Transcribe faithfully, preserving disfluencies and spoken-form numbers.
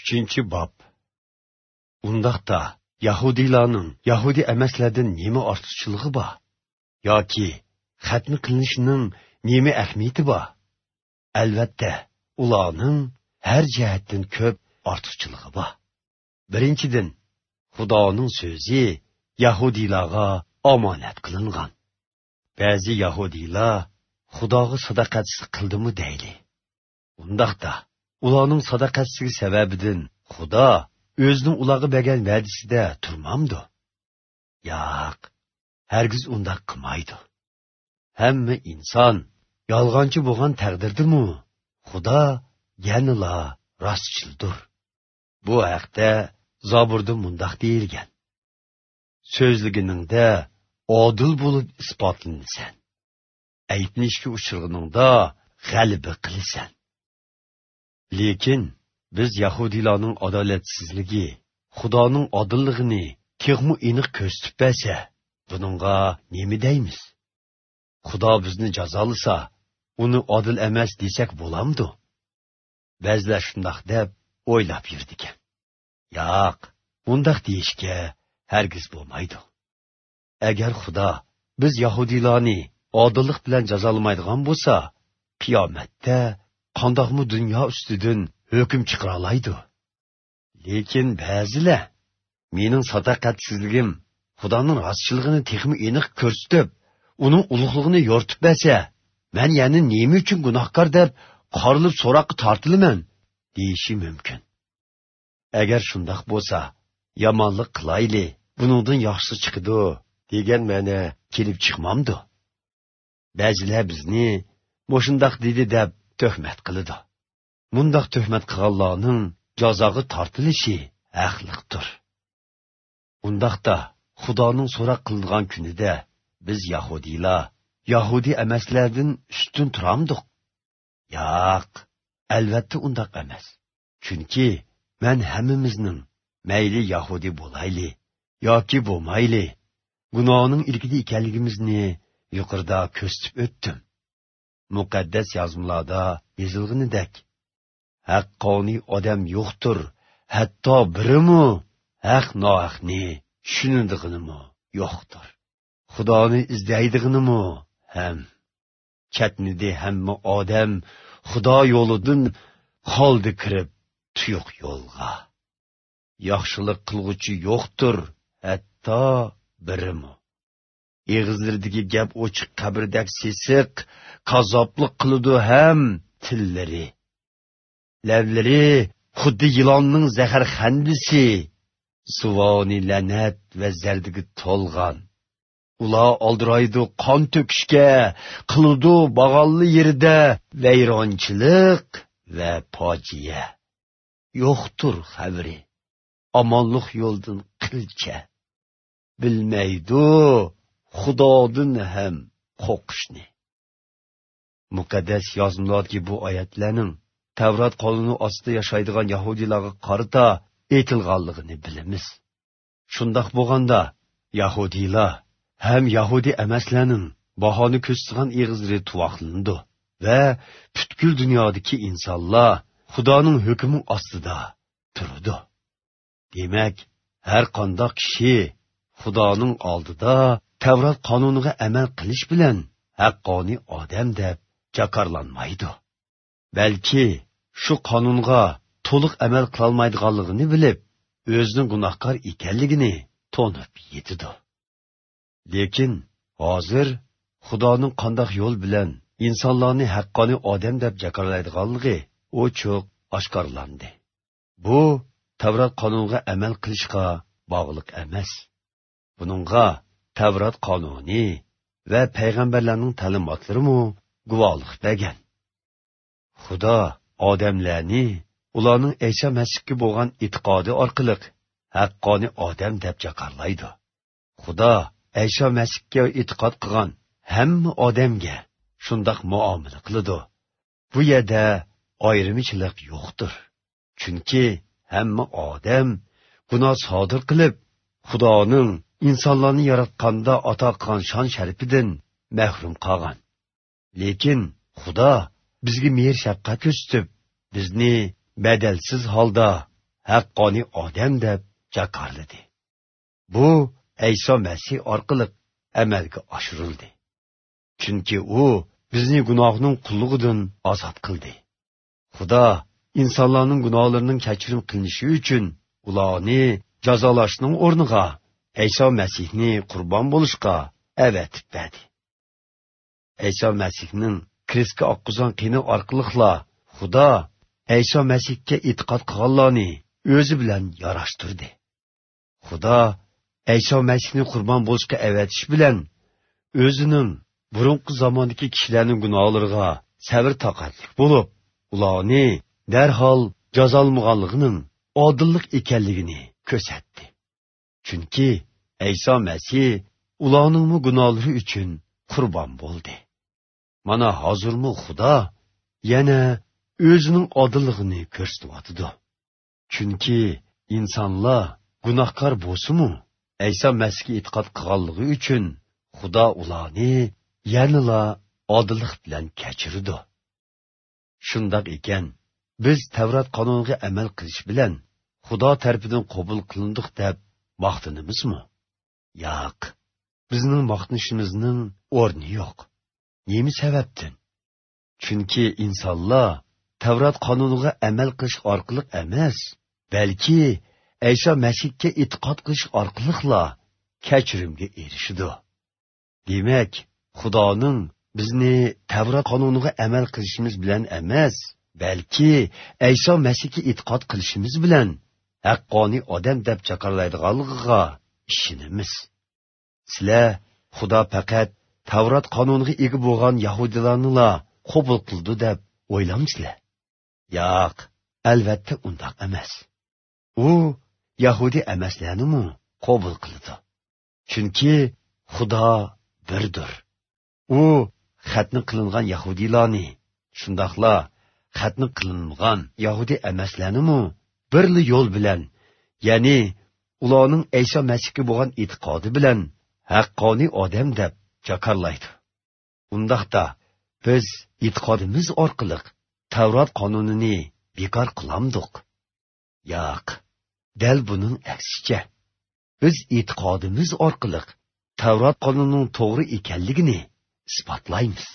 Uchinchi bob. Undaqda Yahudilarning Yahudi emaslardan nima ortiqchiligi bor? Yoki xatni qilinishining nima ahamiyati bor? Albatta, ularning har jihatdan ko'p ortiqchiligi bor. Birinchidan, Xudoning so'zi Yahudilarga omonat qilingan. Ba'zi Yahudilar Xudoga sadoqatsizlik qildimi deyli. Undaqda ularning sadoqatsizligi sababidan Xudo o'zining ularga bergan va'dasida turmamdi? Yo'q, hargiz undaq qilmaydi. Hamma inson yolg'onchi bo'lgan taqdirdimi, Xudo yanala rostchildir. Bu haqda Zaburda mundaq deyilgan: so'zliginingda odil bo'lib isbotlanasan, aytnishga uchirganingda g'alaba qilasan. Lekin biz Yahudilarning adolatsizligi Xudoning odilligini texmi aniq ko'rsatib bersa, buningga nima deymiz? Xudo bizni jazolasa, uni odil emas desak bo'lamdi? Ba'zilar shundoq deb o'ylab yurdi ekan. Yo'q, bundaq deyishga hargiz bo'lmaydi. Agar Xudo biz Yahudilarni odillik bilan jazolamaydigan bo'lsa, qiyomatda qandoqmi dunyo ustidan hukm chiqara oladi? Lekin ba'zilar mening sadoqatsizligim Xudoning rostchiligini texmi aniq ko'rsatib, uning ulug'lig'ini yo'rtib bersa, men yana nima uchun gunohkor deb qorilib so'roqqa tortilaman deyishi mumkin. Agar shundoq bo'lsa, yomonlik qilayli, buningdan yaxshisi chiqadi degan ma'no kelib chiqmamdi. Ba'zilar bizni mo'shundoq dedi deb tuhmat qiladi. Mundaq tuhmat qilganlarning jazoga tortilishi haqliqdir. Undaqda Xudoning so'roq qilingan kunida biz Yahudilar Yahudi emaslardan ustun turamdiq? Yo'q, albatta undaq emas. Chunki men hammamizning mayli Yahudi bo'layli yoki bo'lmayli gunohning ilkida ekanligimizni yuqorida ko'rsatib o'tdim. Muqaddas yozmalarda yozilganidek, haqqoniy odam yo'qdir, hatto birimi haq nohaqni tushunadiganimi yo'qdir. Xudoni izlaydiganimi ham chatnidi hamma odam Xudo yo'lidan qoldi kirib tuyuq yo'lga. Yaxshilik qilg'uchi yo'qdir, hatto birimi. Eg'izlaridagi gap ochiq qabrdak sesiq, kazoblik qiladi ham tillari. Lavlari xuddi yilonning zaharxandisi, suvoni la'nat va zardiga to'lgan. Ular oldiraydi qon to'kishga, qiladi bag'alli yerida vayronchilik va fojia. Yo'qtur xabari, omonlik yo'ldan qilcha. Bilmaydi Xudodan ham qo'rqishni. Muqaddas yozmalardagi bu oyatlarning Tavrat qonuni ostida yashaydigan Yahudilarga qarata aytilganligini bilamiz. Shundoq bo'lganda Yahudilar ham Yahudi emaslarning bahoni ko'rsatgan eg'izlari tuvoqlandi va butkul dunyodagi insonlar Xudoning hukmi ostida turdi. Demak, har qanday kishi Xudoning oldida Tavrat qonuniga amal qilish bilan haqqoniy odam deb jakarlanmaydi. Balki shu qonunga to'liq amal qilolmaydiganligini bilib, o'zining gunohkor ekanligini to'nib yetidi. Lekin hozir Xudoning qanday yo'l bilan insonlarni haqqoniy odam deb jakarlaydiganligi ochiq oshkorlandi. Bu Tavrat qonuniga amal qilishga bog'liq emas. Buningga Tavrat qonuni va payg'ambarlarning ta'limotlarimi guvohlik bergan. Xudo odamlarni ularning Isa Masihga bo'lgan e'tiqodi orqali haqqoniy odam deb jakarlaydi. Xudo Isa Masihga e'tiqod qilgan hamma odamga shundoq muomala qiladi. Bu yerda ayrimchilik yo'qdir. Chunki hamma odam gunoh sodir qilib, Xudoning insonlarni yaratganda ato qilgan shon sharifidan mahrum qolgan. Lekin Xudo bizga mehr shafqat ko'rsatib, bizni badalsiz holda haqqoniy odam deb jakarladi. Bu Ayso Masih orqali amalga oshirildi. Chunki u bizni gunohning qullugidan ozod qildi. Xudo insonlarning gunohlarining kechirim qilinishi uchun ularni jazolashning o'rniga Ayso Masihni qurbon bo'lishga avatib berdi. Ayso Masihning krestga oqqizgan qini orqali Xudo Ayso Masihga e'tiqod qilganlarni o'zi bilan yarashtirdi. Xudo Ayso Masihni qurbon bo'lishga avatish bilan o'zining burunqi zamondagi kishilarning gunohlariga sabr toqatlik bo'lib, ularni darhol jazolmaganligining odillik ekanligini ko'rsatdi. Chunki Ayso Masih ularning gunohlari uchun qurbon bo'ldi. Mana hozirmi Xudo yana o'zining odilligini ko'rsatyotidi. Chunki insonlar gunohkor bo'lsa-mu, Ayso Masihga e'tiqod qilganligi uchun Xudo ularni yanala odillik bilan kechirdi. Shundoq ekan, biz Tavrat qonuniga amal qilish bilan Xudo tarafidan qabul qilindik deb maqtanamizmi? Yo'q. Bizning maqtanishimizning o'rni yo'q. Nima sababdan? Chunki insonlar Tavrat qonuniga amal qilish orqali emas, balki Ayso Masihga e'tiqod qilish orqali kechirimga erishadi. Demak, Xudoning bizni Tavrat qonuniga amal qilishimiz bilan emas, balki Ayso Masihga e'tiqod qilishimiz bilan haqqoniy odam deb chaqirlaydiganligiga ishonamiz. Sizlar Xudo faqat Tavrat qonuniga ega bo'lgan yahudilarni qabul qildi deb o'ylamsizlar? Yo'q, albatta undoq emas. U yahudi emaslarni qabul qildi. Chunki Xudo birdir. U xatni qilingan yahudilarni, shundoqla xatni qilingan yahudi emaslarni birli yo'l bilan, ya'ni ularning Ayso Masihga bo'lgan e'tiqodi bilan haqqoniy odam deb jakarlaydi. Undaqda biz e'tiqodimiz orqali Tavrat qonunini bekor qilamdiq? Yo'q, dal buning aksicha. Biz e'tiqodimiz orqali Tavrat qonunining to'g'ri ekanligini isbotlaymiz.